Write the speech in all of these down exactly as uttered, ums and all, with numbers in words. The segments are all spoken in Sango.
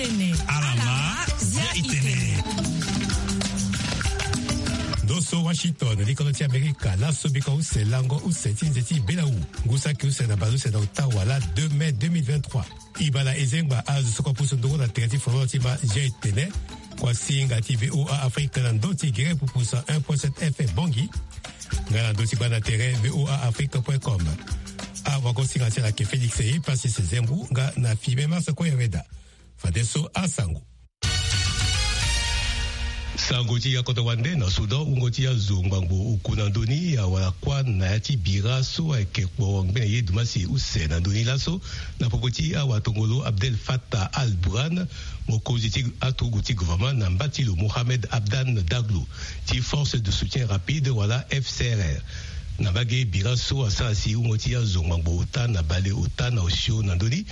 Alama, zia itene. Ndo so Washington, likolo ti Amerika, laso biko use lango use ti nze ti belawu. Ngu saki use na bale use na ota wala deux mai deux mille vingt-trois. E baa na e zengba azo so kue apusu ndongo na tere ti fololo ti ma zia itene. Kuasinga ti V O A Afrique na ndö ti gere pupu cent un point sept F M Bangui. Nga na ndö ti gba na tere V O A Afrique point com. Awagosinga ti ala ke Félix e pasi se zembu nga na Fibé Mars Koyaweda. Fadeso asango. Sango ti yakoto wande na Soudan, wungo ti azo ngbangbo oku na ndö ni awara kuâ na ya ti bira so ayeke kpo ngbene ye dumasi use na ndö ni laso, na popo ti awatongolo Abdel Fattah al-Burhan, mokonzi ti aturugu ti gouvernement, na mba ti lo Mohamed Abdan Daglo ti Force de Soutien Rapide wala F C R R. Na mbage bira so asara si wungo ti azo ngbangbo ota na bale ota na osio na ndö ni,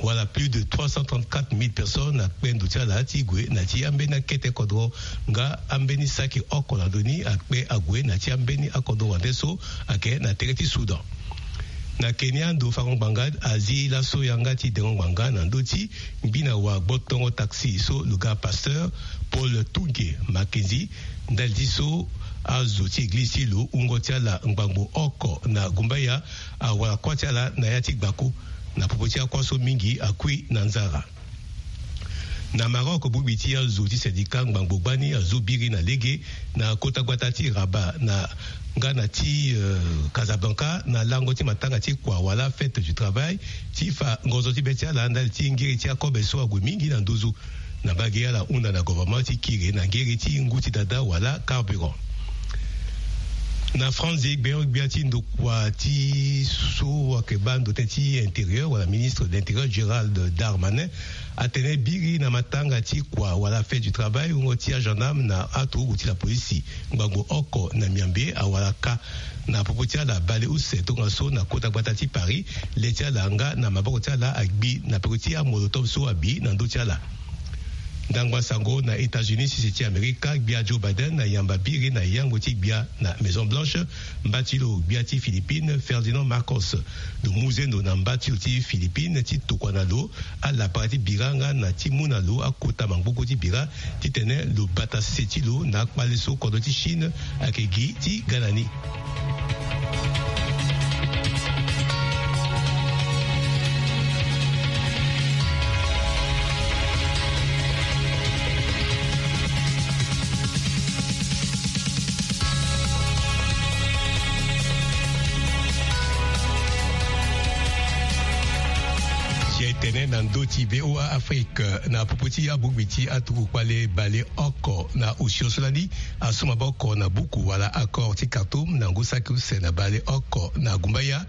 wala plus de trois cent trente-quatre mille personnes akpe ndo ti ala ti gue na ti ambeni akete kodro, nga ambeni saki oko na ndö ni akpe ague na ti ambeni akodro wande so ayeke na tere ti Soudan. Na Kenya, ndo fango ngbanga azi laso yanga ti dengo ngbanga na ndö ti ngbina wa gbotongo taxi so lo ga Pasteur Paul Tunge Mackenzie, ndali ti so azo ti eglize ti lo wungo ti ala ngbangbo oko na gumbaya awara kuâ ti ala na ya ti gbako, na popo ti akuâ so mingi akui na nzara. Na Maroc, bongbi ti azo ti syndicat ngbangbo gbani azo biri na lege na kota gbata ti Rabat na nga na ti, euh, Casablanca na lango ti matanga ti kua wala fête du travail ti fa ngonzo ti be ti ala ndali ti ngiri ti akobe so ague mingi na nduzu. Na mbage ala hunda na gouvernement ti kiri na ngiri ti ngu ti dada wala carburant. Na France, gbia gbia ti ndokua ti so ayeke baa ndo tënë ti intérieur wala ministre de l'intérieur Gérald Darmanin atene biri na matanga ti kua wala fête du travail wungo ti agendarme na aturugu ti lapolisi ngbangbo oko na miambe awara ka na popo ti ala bale use tongaso na kota gbata ti Paris, le ti ala nga na maboko ti ala agbi na peko ti amolotov so abi na ndö ti ala. Ndangba sango na États-Unis, sese ti Amerika, gbia Joe Biden ayamba biri na yango ti gbia na Maison Blanche mba ti lo gbia ti Philippines Ferdinand Marcos. Lo mu zendo na mba ti lo ti Philippines ti tokua na lo alapara ti bira nga na ti mu na lo akota mangboko ti bira titene lo bata sese ti lo na akpale so kodro ti Chine ayeke gi ti ga na ni. Si ayeke tene na ndö ti V O A Afrique na popo ti abongbi ti atuku kpale bale oko na osio so lani asu maboko na buku wala accord ti Khartoum na ngu saki use na bale oko na gumbaya.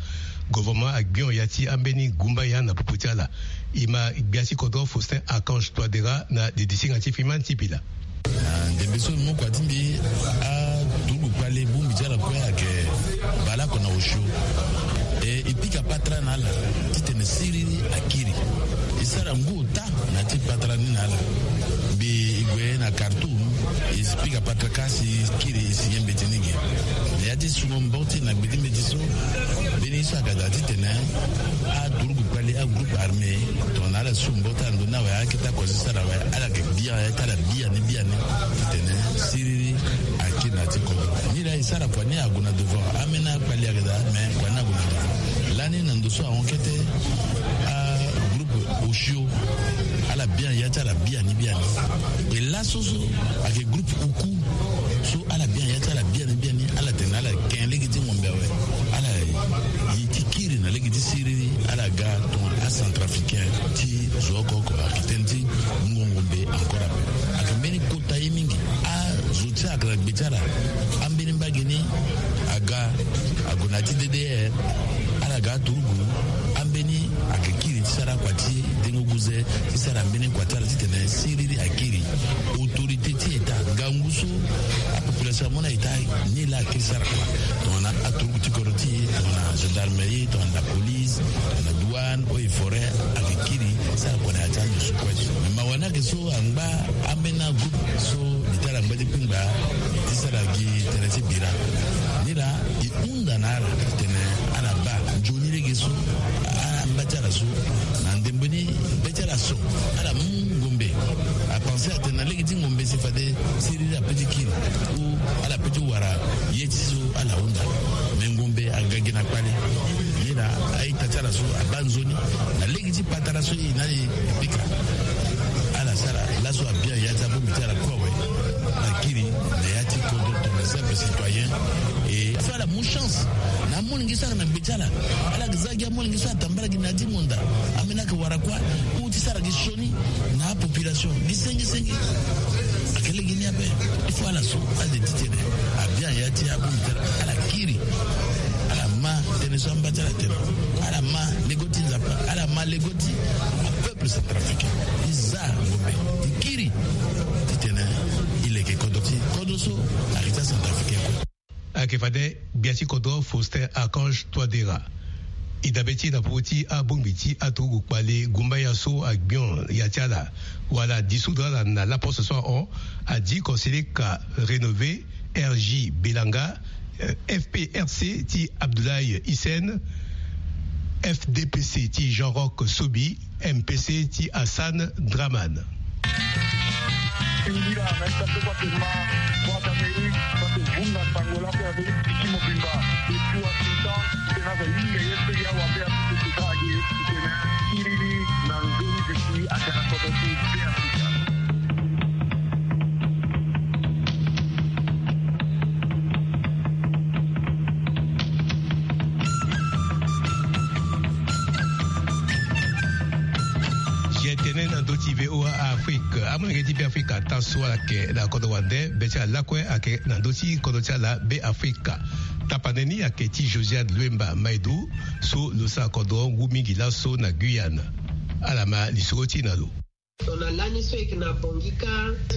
Gouvernement agbion ya ti ambeni gumbaya na popo ti ala. E ma gbia ti kodro Faustin Archange Touadéra na didisinga ti Freeman Sipila. Na ndembe so mo kua ti mbi aturugu kpale bongbi ti ala kue ayeke baleoko na osio. E, e pika patara na ala titene siriri akiri. E sara ngu ota na ya ti patara ni na ala. Mbi e gue na Khartoum, e pika patara ka si kiri e si ye mbeti ni ge. Na ya ti sungo mbo ti na gbe ti mbeti so, mbeni so ayeke daa titene aturugu kpale agroupe armé tongana ala su mbo ti ala ndo ni awe akete akosi sara awe, ala yeke bian ya ti ala biani biani titene siriri akiri na ya ti kodro. Ni laa e sara kua ni ague na devant. Ambeni akpale ayeke daa, me kua ni ague na devant. Lani na ndo so ahon kete agroupe osio ala bian ya ti ala biani biani. E laso so ayeke groupe oku so ala bian ya ti ala biani biani, ala tene ala ken lege ti ngombe awe. Ala ye ti kiri na lege ti siriri, ala ga tongana acentrafricain ti zo oko oko ayeke tënë ti mungo ngombe encore ape. Ayeke mbeni kota ye mingi. Azo ti ala ayeke na gbe ti ala, ambeni mbage ni aga ague na ya ti D D R, ala ga aturugu, ambeni ayeke kiri ti sara akua ti dengo guze ti sara mbeni kua ti ala titene siriri akiri. Autorité ti État, ngangu so apopulation amu na État, ni laa akiri sara kua. Tongana aturugu ti kodro ti e, tongana gendarmerie, tongana la police, tongana douane, eaux et forêts, ayeke kiri sara kua na ya ti ando so kue so. Me mawa ni ayeke so angba ambeni agroupe so li ti ala angba ti kpengba ti sara gi tënë ti bira. Ni laa e hunda na ala titene ala baa nzoni lege so angba ti ala so na ndembe ni be ti ala so ala mu ngombe Ti ngombe si fade siriri ape ti kiri, ou ala pe ti wara ye ti so ala hunda. Me ngombe aga gi na kpale. Ye na a-ita ti ala so abaa nzoni na lege ti patara so e na e pika. Ala sara laso abia ya ti abongbi ti ala kue awe. Ala kiri na ya ti kodro tongana simple citoyen. E so ala mu chance na amolenge so aga na gbe ti ala. Ala ga za gi amolenge so atambara gi na ya ti monda. Ambeni ayeke wara kua ou ti sara gi sioni na apopulation gi senge senge. Ayeke lege ni ape. Il faut ala so ade ti tene abia ya ti abongbi ti ala, ala kiri. Ala ma tënë so amba ti ala atene. Ala ma lego ti Nzapa, ala ma lego ti apeuple centrafricain. E za ngombe, e kiri. Titene e leke kodro ti kodro so ayeke ti acentrafricain kue. Ayeke fade gbia ti kodro Faustin Archange Touadéra. E dabe ti e na popo ti abongbi ti aturugu kpale gumbaya so agbion ya ti ala wala dissoudre ala na laposte so ahon. Adi conseiller ka rénové R J Belanga, euh, F P R C ti Abdoulaye Hissène, F D P C ti Jean-Roch Sobi, M P C ti Hassan Dramane. Singila na ita so kua ke ma, kua ka mei, kua ke vunga sango lako ya mei piki mobimba. Depuis Washington, tena za yinga ye pe ya wa be a piki pika age, tena kiriri na nzoni de si aka na kodo ti be a pika. Ye tene na ndö ti V O A Afrique, amolenge ti Be Afrika ata so ala yeke na kodro wande, be ti ala lakue ayeke na ndö ti kodro ti ala Be Afrika. Tapande ni ayeke ti Josiane Luemba Maidou, so lo sara kodro ngu mingi laso na Guyane. Ala ma lisoro ti e na lo. Tongana lani so e yeke na Bangui kâ,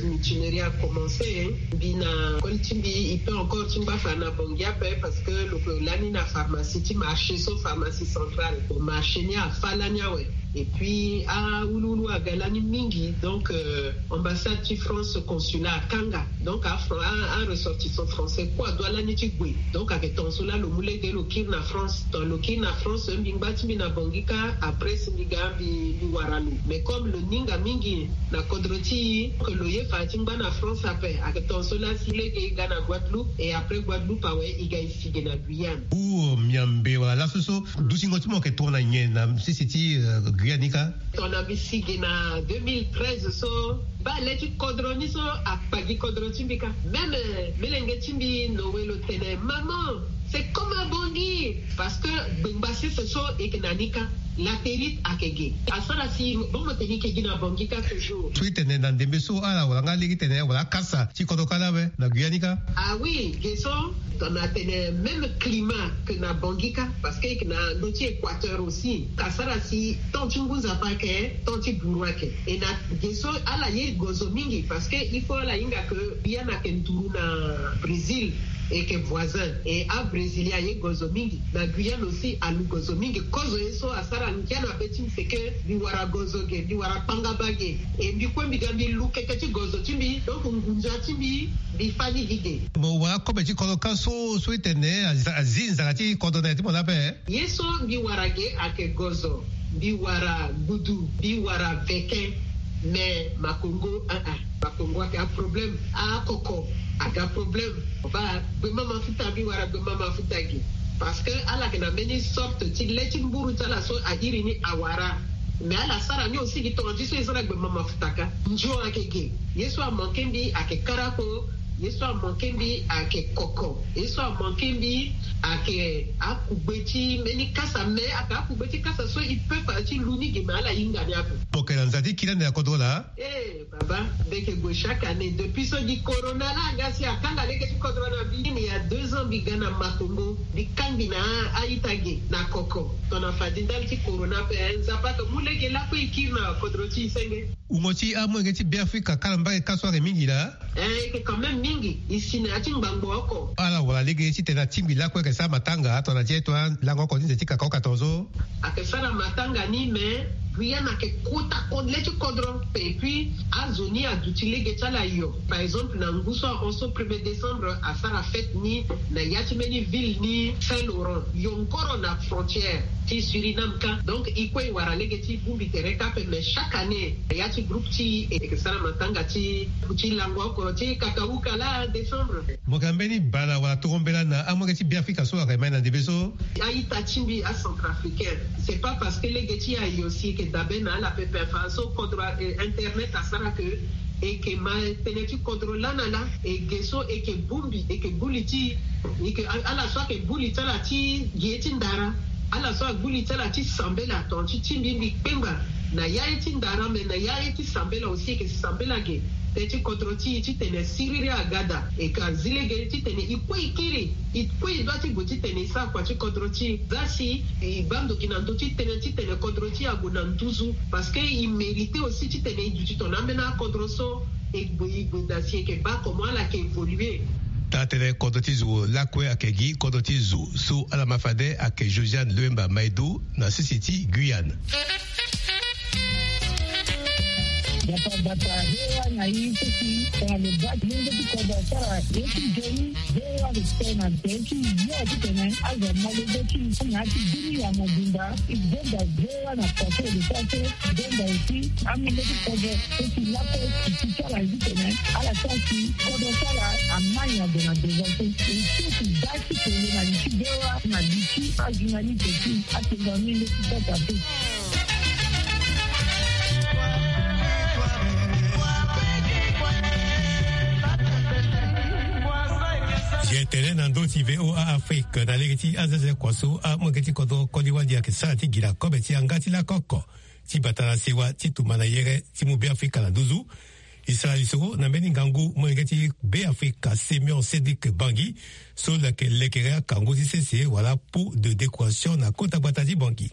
l'itinéraire a commencé. Mbi na koli ti mbi, e peut encore ti ngba fa na Bangui ape, parce que lo yeke lani na pharmacie ti marché so, pharmacie centrale. Bon, marché ni afâ lani awe. Et puis awuluwulu aga lani mingi. Donc, euh, ambassade ti France, consulat akanga. Donc a Fran-, a, a ressortissant français kue adoit lani ti gue. Donc ayeke tongaso laa lo mu lege lo kiri na France. Tongana lo kiri na France, mbi ngba ti mbi na Bangui kâ, après si mbi ga mbi, mbi wara lo. Mais comme lo ninga mingi na kodro ti e, que lo ye fa ti ngba na France ape, ayeke tongaso laa si lege e ga na Guadeloupe, et après Guadeloupe awe e ga e si ge na Guyane. Ou, euh, miambe wala laso so dutingo ti mo ayeke tongana nyen na sese ti, euh, Guyane ni kâ? Tongana mbi si ge na deux mille treize so, baa le ti kodro ni so akpa gi kodro ti mbi kâ. Même, euh, melenge ti mbi Noé lo tene, maman, c'est comme à Bangui, parce que gbengba sese so e yeke na ni kâ. Latérite ayeke ge. Asara si mo, mo tene e yeke gi na Bangui kâ toujours. So e tene na ndembe so ala wara nga lege tene wala akasa ti kodro kâ laa awe na Guyane ni kâ? Ah oui, ge so, tongana tene même climat que na Bangui kâ, parce que e yeke na ndö ti équateur aussi. Asara si temps ti ngu nzapa ayeke, temps ti buru ayeke. E na ge so ala ye gozo mingi, parce que il faut ala hinga que Guyane ayeke nduru na Brésil, e yeke voisin. Et abrésilien aye gozo mingi. Na Guyane aussi alu gozo mingi. Kozo ye so asara ngia na be ti mbi, c'est que mbi wara gozo ge, mbi wara kpangaba ge. Et mbi kue mbi ga mbi lu keke ti gozo ti mbi. Donc ngunza ti mbi, mbi fâ ni gi ge. Mo wara kobe ti kodro kâ so, so e tene azi, azi nzara ti kodro na ya ti mo laa ape? Ye so mbi wara ge ayeke gozo. Mbi wara gudu, mbi wara veke. Mais makongo, ah ah, makongo ayeke aproblème. Akoko aga problème. Baa gbema mafuta, mbi wara gbema mafuta ge. Parce que ala yeke na mbeni sorte ti le ti mburu ti ala so a iri ni awara. Mais ala sara ni aussi gi tongana ti so e za na gbema mafuta kâ. Nzio ayeke ge. Ye so amanke mbi ayeke karako. Ye so amanke mbi ayeke koko. Ye so amanke mbi ayeke akugbe ti mbeni kasa, mais ayeke akugbe ti kasa so e peut fa ti lu ni ge, mais ala hinga ni ape. Mo yeke na nza ti kiri ande na kodro laa? Eh, baba, mbi yeke gue chaque année. Depuis so gi corona laa aga si akanga lege ti kodro na mbi. Il y a deux ans mbi ga na Makongo, mbi kangbi na a-ita ge na koko. Tongana fadi ndali ti corona ape, eh, Nzapa ayeke mu lege lakue e kiri na kodro ti e senge. Wungo ti amolenge ti Beafrika kâ na mbage kâ so ayeke mingi laa? Eh, e yeke quand même mingi. E si na ya ti ngbangbo oko. Ala wara lege titene atingbi lakue ayeke sara matanga tongana ti e, tongana lango oko ti nze ti kaka oka tongaso. Ayeke sara matanga ni, mais Guyane ayeke kota kodro, le ti kodro. Et puis azo ni aduti lege ti ala yo. Par exemple na ngu so ahon so, premier décembre, asara fête ni na ya ti mbeni ville ni Saint-Laurent, yongoro na frontière. Ti Suriname ka. Donc e kue e wara lege ti bongbi tere kâ ape, mais chaque année ya ti groupe ti e e ke sara matanga ti ti lango oko ti kakauka la décembre. Mo ka mbeni bala wala toro mbela na amolenge ti Beafrika so ayeke mai na ndembe so? A-ita ti mbi acentrafricain, c'est pas parce que lege ti ayo si e ke dabe na ala pepe afa so kodro internet asara ke e ke ma tene ti kodro lana laa. E ge so e ke bongbi e ke buli ti e ke ala so ayeke buli ti ala ti ge ti ndara. Ala so agbu li ti ala ti sambela tonga ti ti mbi mbi kpengba na ya ye ti ndara me na ya ye ti sambela aussi e ke sambela ge. Tënë ti kodro ti e titene siriri aga daa e ka zi lege titene e kue e kiri e kue e dua ti gue titene e sara kua ti kodro ti e. Za si e baa ndoki na ndö ti tënë titene kodro ti e ague na nduzu parce que e mérite aussi titene e duti tongana ambeni akodro so e gbe e gbe daa si e ke baa comment ala ke évoluer. Taa tënë kodro ti zo lakue ayeke gi kodro ti zo so ala ma fade ayeke Josiane Loemba Maedo na sese ti Guyane. Bata bata hewa na i sisi tongana lo baa ti lenge ti kodro asara ye ti nzoni. Hewa respect na tënë ti yo titene azo ama lege ti na ya ti bini ya mobimba. E gonda hewa na kua so e lo sara so. Gonda aussi amolenge ti kodro so si lakue si ti ti ala zi tene ala sara si kodro ti ala amai ague na devant so. E so si baa ti kele na li ti bewa na li ti ajournaliste ti atenga amolenge ti kota so. Ye tene na ndö ti VOA Afrique na lege ti azaza kua so amolenge ti kodro koli wali ayeke sara ti gi na kobe ti yanga ti lakoko ti bata na sewa ti tumba na yere ti mu Beafrika na nduzu. E sara lisoro na mbeni ngangu molenge ti Beafrika Simeon Cédric Bangui so lo yeke lekere akangu ti sese wala pot de décoration na kota gbata ti Bangui.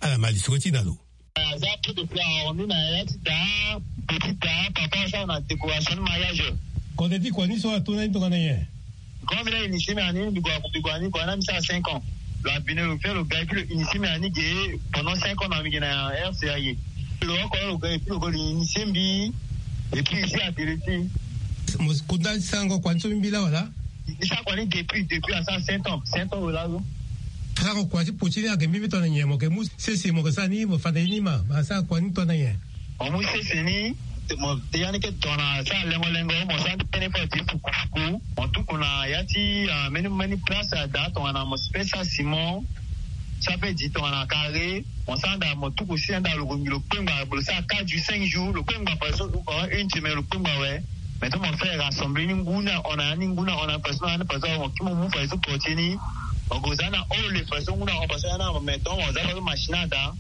Ala ma lisoro ti na lo. Aza pot de fleur arrondi na ya ti daa petit daa papa asara na décoration ni mariage. Kode ti kua ni so ato na ni tongana nyen? Grand mbi na initié mbi na ni mbi gue aku mbi gue na ni kua na mbi sara cinq ans. Lo abine lo fait lo ga et puis lo initié mbi na ni ge pendant cinq ans na mbi ge na R C A ye. Lo oko lo ga et puis lo go lo initié mbi et puis ici à Deleti. Mo kunda ti sarango kua ni so mbi mbi la wala? Mbi sara kua ni depuis depuis asara sept ans sept ans lo la so. Sarango kua ti poti ni ayeke mbi mbi tongana nyen mo yeke mu sese mo yeke sara ni mo fade ye ni ma asara kua ni tongana nyen? Mo mu sese ni mo ya ni ke tongana sara lengo lengo mo sara ni tënë fo ti fukufuku. Mo tuku na ya ti mbeni mbeni place ada tongana mo si pe sara ciment. Sara pe di tongana carré. Mo sara anda mo tuku si anda lo gongi lo kpengba lo sara quatre jours cinq jours lo kpengba par exemple une semaine lo kpengba awe. Maintenant mo fait rassembler ni ngu ni ahon na ya ni ngu ni ahon na ya parce que na ya ni parce que mo kiri mo mu fa ye so poti ni. Mo gue za na hall fa ye so ngu ni ahon parce que ya ni ahon maintenant mo za fa ye so machine ada.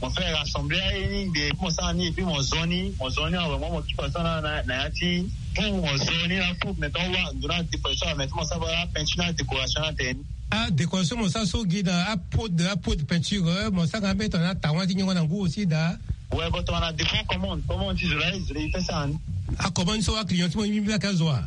Mo fait rassembler aye ni de et puis mo sara ni et puis mo zo ni mo zo ni awe mo mo kiri fa ye so na na ya ti pour mo zo ni na pour maintenant wa ndo na ti fa ye so awe maintenant mo sara fa la peinture na décoration na tene ni. Adécoration mo sara so gi na apot de apot de peinture mo sara nga mbeni tongana atawan ti nyongo na ngu aussi daa. Ouais bon tongana dépend commande commande ti zo la zo la e fait sara ni. Acommande so aclient ti mo mbi mbi lake azo wa.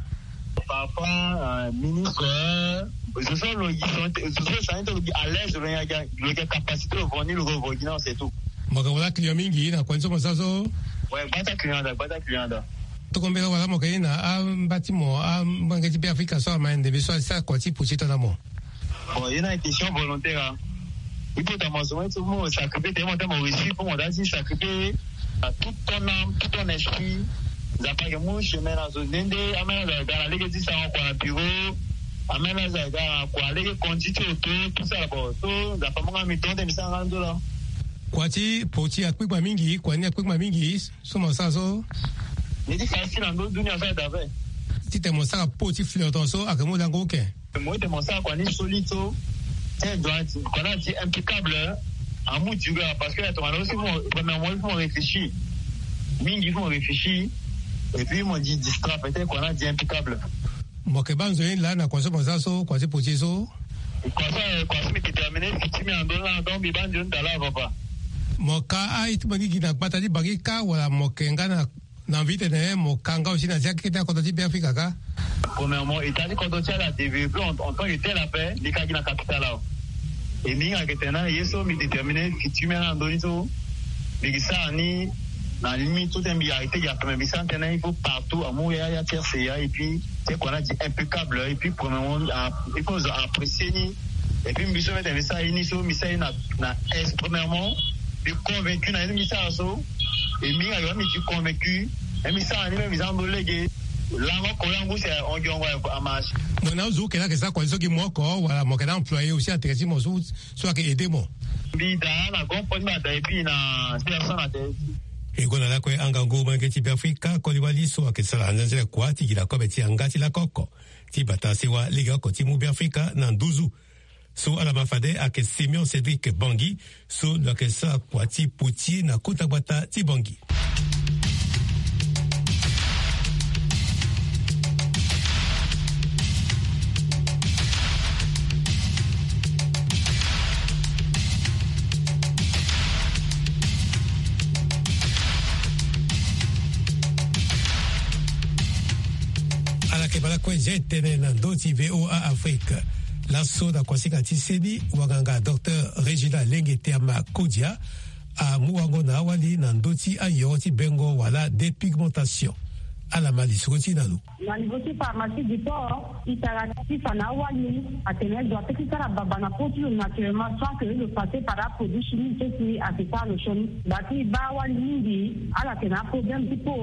Parfois ministre zo so lo gi zo so sara ni to lo gi à l'aise lo nyaga lo gi capacité lo vo ni lo vo gi na c'est tout. Mo yeke wala client mingi na kua ni so mo sara so. Ouais gbata client daa gbata client daa. Toko mbela wala mo yeke ni na amba ti mo amolenge ti Beafrika so ama ndembe so asara kua ti poti tongana mo. Bon ye na question volontaire a. Il faut ta mo zo mo sacrifier te mo ta mo réussir pour mo da ti sacrifier à toute ton âme tout ton esprit. Nzapa ayeke mu chemin na zo nde nde amene azo aga na lege ti sarango kua na bureau. Amene azo aga na kua lege conduit ti auto tout ça là bon so nzapa mu nga mi tonde mi sara nga nzola. Kua ti poti akpikpa mingi kua ni akpikpa mingi. So mo sara so. Ni ti sara si na ndö dunia so adabe. Titene mo sara pot ti flirton so ayeke mu lango oke. Mo ete mo sara kua ni solide so. Te droit kua ni ati impeccable. Amu duré parce que tongana aussi mo premièrement il faut mo réfléchir. Mingi il faut mo réfléchir. Et puis mo di distra peut-être kua ni ati impeccable. Mo yeke baa nzoni laa na kua so mo sara so kua ti poti so. Kua so kua so mbi déterminer ti mbi na ndö ni laa donc mbi baa nzoni daa laa papa. Mo ka aye ti mo gi gi na gbata ti bangi kâ wala mo yeke nga na na mbi tene mo ka nga aussi na zia kete akodro ti Beafrika kâ. Premièrement état ti kodro ti ala adéveloppé en tant que tel ape mbi ka gi na capital awe. E mbi hinga yeke tene na ye so mbi déterminer futur mbi na ndö ni so. Mbi gi sara ni na limite so tene mbi arrêter gi ape mais mbi sara ni tënë il faut partout amu ya ya ti R C A et puis ti kua ni adi impeccable et puis premièrement il faut zo apprécier ni. Et puis mbi so mete mbi sara ye ni so mbi sara ye na na est premièrement. Mbi convaincu na ye ni mbi sara so. Et mbi nga yo mbi ti convaincu. Et mbi sara ni mbi za ndo lege. Lango kola ngu se ongi ongo a marche. Mo na ozu kena ke sa kwa so ki moko wala mo kena employé aussi ateke ti mo so so ake aidé mo. Mbi da na grand point mbi ada et puis na sila sana te. E gue na lakue angangu molenge ti Beafrika koli wali so ake sara anzenzele kua ti gi na kobe ti yanga ti lakoko ti bata sewa lege oko ti mu Beafrika na nduzu. So ala ma fade ake Simeon Cédric Bangi so lo ake sara kua ti potier na kota gbata ti Bangi. Ala ke bala kue je tene na ndö ti VOA Afrique. Laso na kuasika ti seni wanganga docteur Régina Lenge Teama Kodia amu wango na awali na ndö ti ayoro ti bengo wala dépigmentation. Ala ma lisoro ti na lo. Na niveau ti pharmacie du port, e tara ti fa na awali atene lo doit ti sara baba na po ti lo naturellement sans que lo passer par aproduit chimique so si ake sara lo sioni. Bati baa wali mingi ala tene aproblème ti po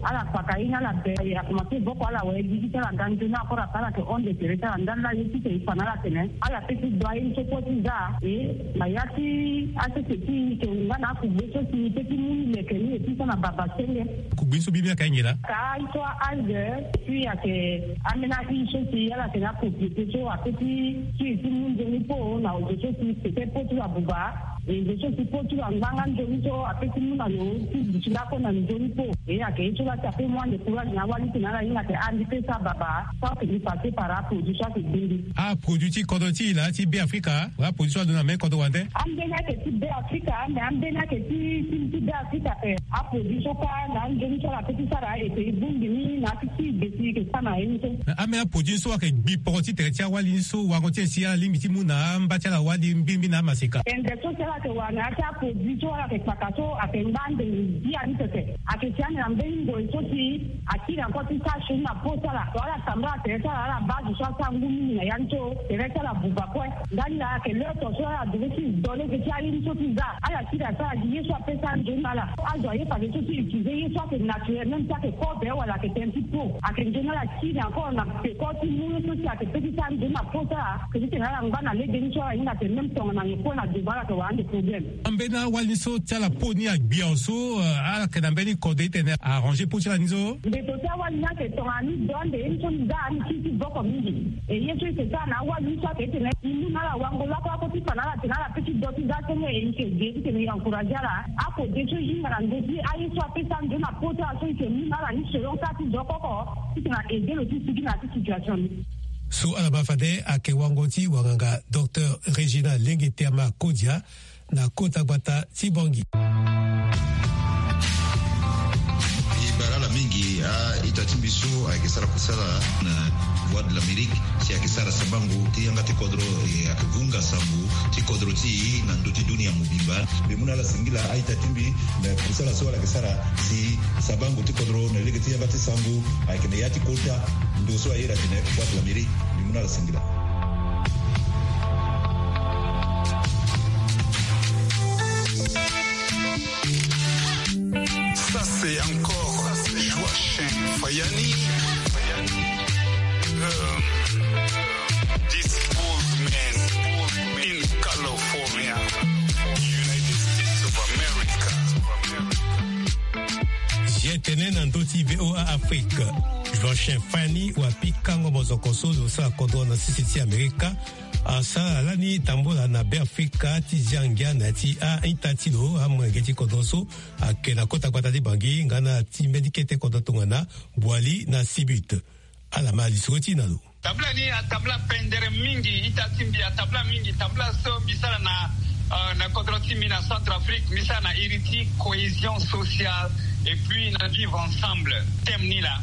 ala kpaka ye ni ala be a commencer boko ala waye gigi ti ala nga nzoni encore après ala ke honte de tere ti ala ndali la ye ti tene e fa na ala tene ala pe ti dua ye ni so kue ti za e na ya ti asese ti e ke nga na akugbe so si e pe ti mu ni leke ni e ti so na baba senge. Kugbe ni so bibi aka ye nyen laa? Ka ye so a algue et puis ake ambeni ahi so si ala tene apropriété so ape ti ti e ti mu nzoni po na ozo so si peut-être po ti lo abuba. E zo so si po ti lo angba nga nzoni so ape ti mu na lo ti duti lakue na nzoni po. E ayeke ye so laa si ape mu ande courage na awali ti tene ala hinga ate ah mbi pe sara baba. So ayeke mbi passer par aproduit so ayeke gbe mbi. Aproduit ti kodro ti e laa ti Beafrika wala aproduit so alondo na mbeni kodro wande? Ambeni ayeke ti Beafrika mais ambeni ayeke ti ti ti Beafrika ape. Aproduit so kâ na anzoni so ala pe ti sara ete e bongbi ni na ya ti ti e ge si e yeke sara na ye ni so. Ambeni aproduit so ayeke gbi poko ti tere ti awali ni so wango ti e si ala lingbi ti mu na amba ti ala wali mbirimbiri na amaseka. Tende so si ala yeke wara na ya ti aproduit so ala yeke kpaka so ayeke ngba ande ngia ni pepe. Ayeke si ande na mbeni ngoi so si akiri encore ti sara sioni na po ti ala so ala tambula tere ti ala ala baa zo so asara ngu mingi na ya ni so tere ti ala buba kue. Ndali la ayeke l'heure so ala devait ti do lege ti aye ni so ti za ala kiri asara gi ye so ape sara nzoni na ala. Azo aye fade so ti utiliser ye so ayeke naturel même si ayeke kobe wala ayeke tënë ti po ayeke nzoni ala kiri encore na peko ti mu ye so si ayeke pe ti sara nzoni na po ti ala. Ke ti tene ala ngba na lege ni so ala hinga ate même tongana nyen kue na devant ala yeke wara ande problème. Ambeni awali ni so ti ala po ni agbi awe so ala yeke na mbeni kode ti tene arranger po ti ala ni so. Mbeto ti awali ni ayeke tongana ni do ande ye ni so ni za ni kiri ti boko mingi. E ye so e yeke sara na awali ni so ayeke ti tene e mu na ala wango lakue oko ti fa na ala tene ala pe ti do ti za senge e yeke ge ti tene e encourager ala. Akode so e hinga na ndö ti aye so ape sara nzoni na po ti ala so e yeke mu na ala ni selon kâ ti zo oko oko ti tene a aider lo ti sigi na ya ti situation ni. So ala ma fade ayeke wango ti wanganga docteur Régina Lenge Teama Kodia na kota gbata ti Bangui. E bara ala mingi a-ita ti mbi so ayeke sara kusala na Voix de l'Amérique si ayeke sara sabango ti yanga ti kodro, e ayeke vunga sango ti kodro ti e na ndö ti dunia mobimba. Mbi mu na ala singila a-ita ti mbi na kusala so ala yeke sara si sabango ti kodro na lege ti yanga ti sango ayeke na ya ti kota ndo so a iri atene Voix de l'Amérique. Mbi mu na ala singila. Ça, c'est encore Joachim Fayani. Euh, this old man in California, United States of America. Ye tene na ndö ti VOA Afrique. Joachim Fayani wa pikango mozoko so lo sara kodro na sese ti Amerika. Asara lani tambula na Beafrika ti zia ngia na ya ti a-ita ti lo amolenge ti kodro so ayeke na kota gbata ti Bangui nga na ti mbeni kete kodro tongana Boali na Sibut. Ala ma lisoro ti e na lo. Tambula ni atambula pendere mingi, ita ti mbi atambula mingi, tambula so mbi sara na, euh, na kodro ti mbi na Centrafrique, mbi sara na iri ti cohésion sociale et puis na vivre ensemble. Thème ni laa.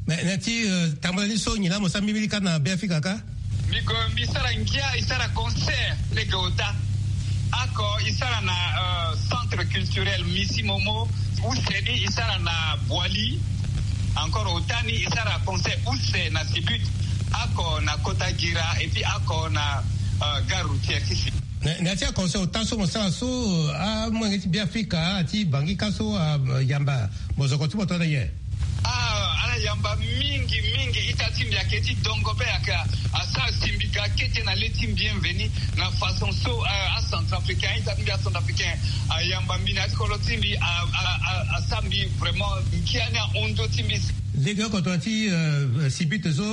Mais na ti, euh, tambula ni so nyen laa mo sara mbirimbiri kâ na Beafrika kâ? Mbi gue mbi sara ngia, e sara concert lege ota. Oko e sara na, euh, centre culturel Misi Momo. Use ni e sara na Boali. Encore ota ni e sara concert use na Sibut. Oko na kota Guira et puis oko na, gare routière ti si. Na ya ti aconseil ota so mo sara so, amolenge ti Beafrika ti Bangui kâ so ayamba mozoko ti mo tongana nyen? Ah, ala yamba mingi mingi. Ita ti mbi ayeke ti dongo pe ayeke asara simbika kete na le ti mbi, bienvenu na façon so acentrafricain, ita ti mbi acentrafricain ayamba mbi na ya ti kodro ti mbi, asara mbi vraiment ngia ni ahon nzo ti mbi. Lege oko tongana ti sibite so,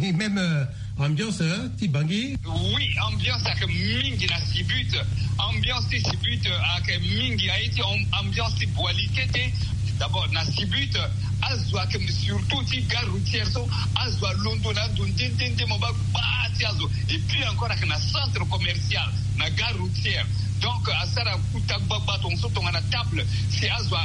même ambiance ti Bangui. Oui, ambiance ayeke mingi na sibite. Ambiance ti sibite ayeke mingi, aye ti ambiance ti boili kete. D'abord na sibite, azo ayeke surtout ti gare routière so, azo alondo na ando nde nde nde mo baa gbaa ti azo. Et puis encore ayeke na centre commercial na gare routière. Donc asara kuta gbagba tongaso tongana table, si azo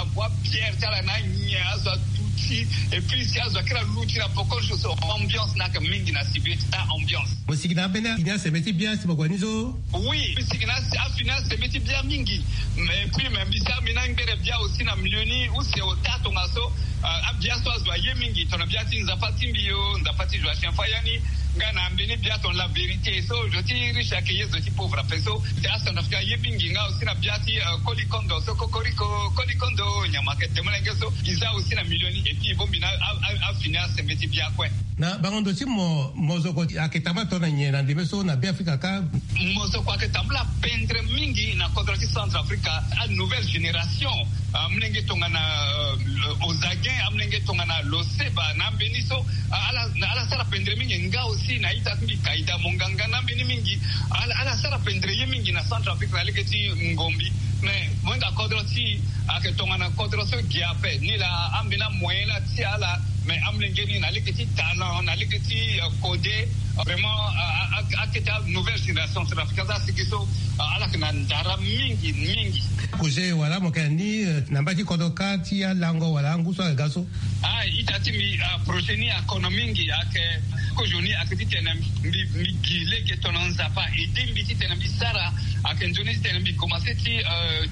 avoa bière ti ala na anyen, azo aduti. Et puis si azo akiri aluti na pokol so, ambiance ni ayeke mingi na sibite. Ah, ambiance. Mo sigi na ambeni afini asembe ti bia si mo gue ni so? Oui, mbi sigi na afini asembe ti bia mingi. Mais puis me mbi sara mbi na ngbere bia aussi na milieu ni use ota tongaso. Abia so azo aye mingi tongana bia ti Nzapa ti mbi o, Nzapa ti Joachim Fayani. Nga na mbeni bia tongana La Vérité so, zo ti riche ayeke ye zo ti pauvre ape so. Ti acentrafricain aye mingi nga aussi na bia ti Kolikondo so, Kokoriko Kolikondo, nyama ayeke de molenge so. Mbi za aussi na milieu ni et puis e bongbi na afini asembe ti bia kue. Na bango ndo ti mo, mozoko ayeke tambula tongana nyen na ndembe so na Beafrika kâ? Mozoko ayeke tambula pendre mingi na kodro ti Centrafrique, anouvelle génération. Amolenge tongana Ozaguin, amolenge tongana Loseba na ambeni so, ala sara pendre mingi. Nga aussi na ita ti mbi Kaïda Monganga na ambeni mingi. Ala sara pendre ye mingi na Centrafrique na lege ti ngombi. Mais mo hinga kodro ti ayeke tongana kodro so gi ape ni laa, ambeni amoyen laa ti ala. Mais amolenge ni na lege ti talent, na lege ti kode, vraiment akete anouvelle génération centrafricaine so asigi so, ala yeke na ndara mingi mingi. Projet wala mo yeke na ni na mba ti kodro kâ ti alango wala angu so ayeke ga so? Ah, ita ti mbi, projet ni akono mingi. Ayeke kozoni ayeke titene mbi gi lege tongana Nzapa aide mbi titene mbi sara. Ayeke nzoni titene mbi komanse ti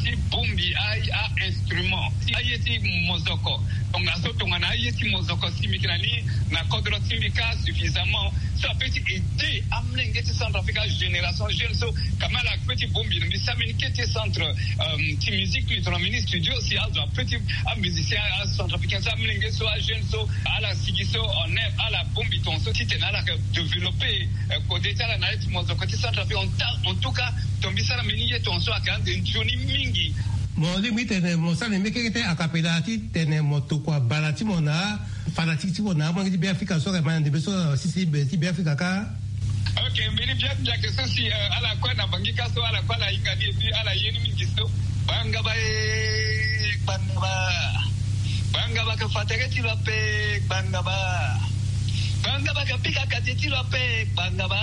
ti bongbi a instrument ti aye ti mozoko. Tongaso tongana aye ti mozoko si mbi yeke na ni na kodro ti mbi kâ suffisamment so apeut ti aider amolenge ti Centrafrique, agénération jeune so. Quand même ala peut ti bongbi na mbi sara mbeni kete centre ti musique ni tongana mini studio si azo apeut ti amusicien acentrafricain so, amolenge so, ajeune so, ala sigi so en œuvre, ala bongbi tongaso titene ala yeke développer kode ti ala na ye ti mozoko ti Centrafrique. En tout cas tongana mbi sara mbeni ye tongaso ayeke ande nzoni mingi. Mo lingbi titene mo sara na mbi kekete akapela titene mo tokua bala ti mo na fanatique ti mo na amolenge ti Beafrika so ayeke ma na ndembe so na sisi ti Beafrika kâ. Ok, mbeni bia ti mbi ayeke so si ala kue na Bangui kâ so ala kue ala hinga ni et puis ala ye ni mingi so. Gbangaba e, gbangaba. Gbangaba yeke fa tere ti lo ape, gbangaba. Gbangaba yeke pika kate ti lo ape, gbangaba.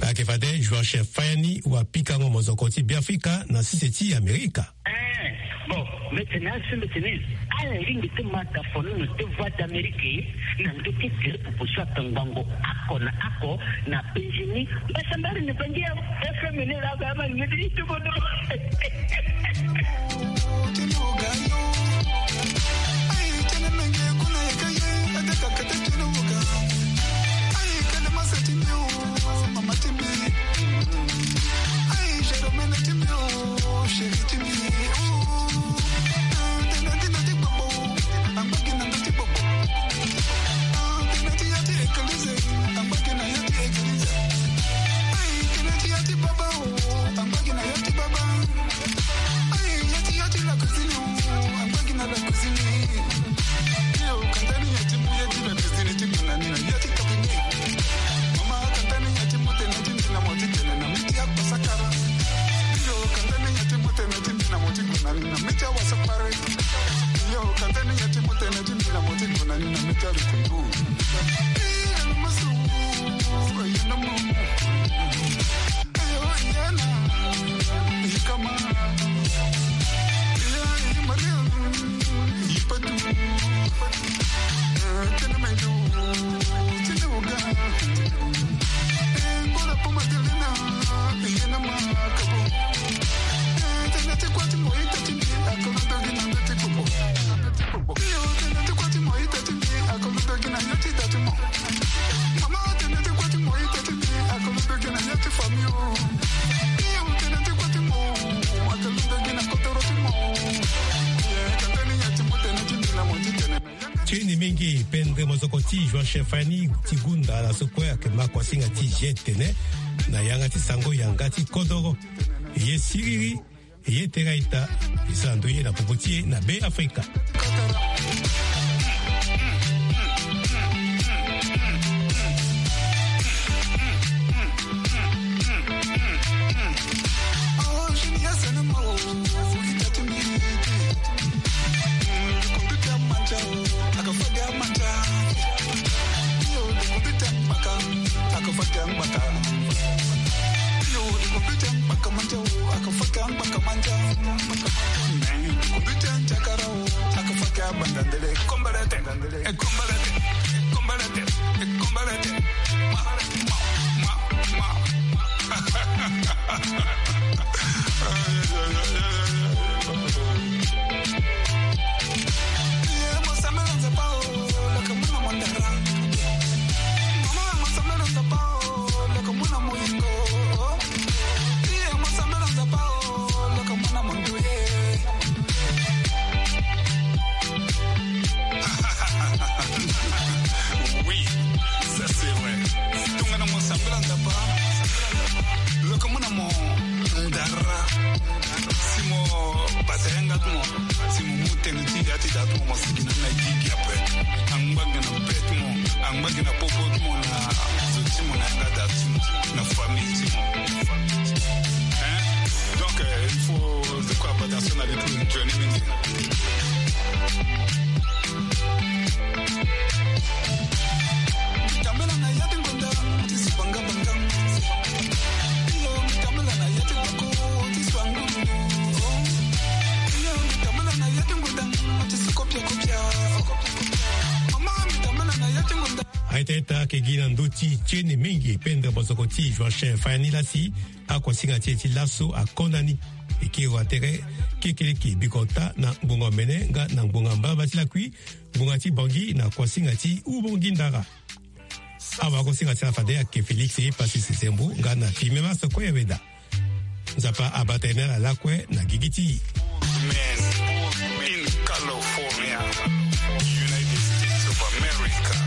Ayeke fade Joachim Fayani wapikango mozoko ti Beafrika na sese ti Amerika. Eh, bon, mbi tene asembe tene ala lingbi ti ma tafono na te Voix d'Amérique na ndö ti gere popo so atangbango oko na oko na penzi ni. Mbasambari ni bangi ya F M ni la ba ma ngedi itobodo. Tene menge pendre mosoko ti Joachim Fani ti gunda na so kue ayeke ma kuasinga ti G T N na yanga ti sango yanga ti kodoro. Ye siriri, ye tera ita, e sara ndo ye na popo ti e na Be Afrika. Oui, ça c'est vrai. Tongana mo sambela Nzapa, loko mo na mo ndara. Si mo bata yanga ti mo, si mo mu tënë ti ya ti da ti mo, mo sigi na ni na gigi ape. Angba gi na be ti mo, angba gi na popo ti mo, na zo ti mo, na yanga da ti mo, na famille ti mo. Hein? Donc, euh, il faut, je crois, bata so na li ti nzoni mingi. Aita ita ayeke gi na ndö ti tene mingi pendre mosoko ti Joachim Fani la si akuasinga ti e ti laso akonda ni. E kiri wa tere kekeleke bikota na ngbonga omene nga na ngbonga mbamba ti lakui, ngbonga ti Bangui na kuasinga ti Ubangui Ndara. Awa akuasinga ti ala fade ayeke Félix Epassi Sezembo nga na Fimema Sokoya Weda. Nzapa abata ye na ala lakue na gigi ti e. Men in California, United States of America.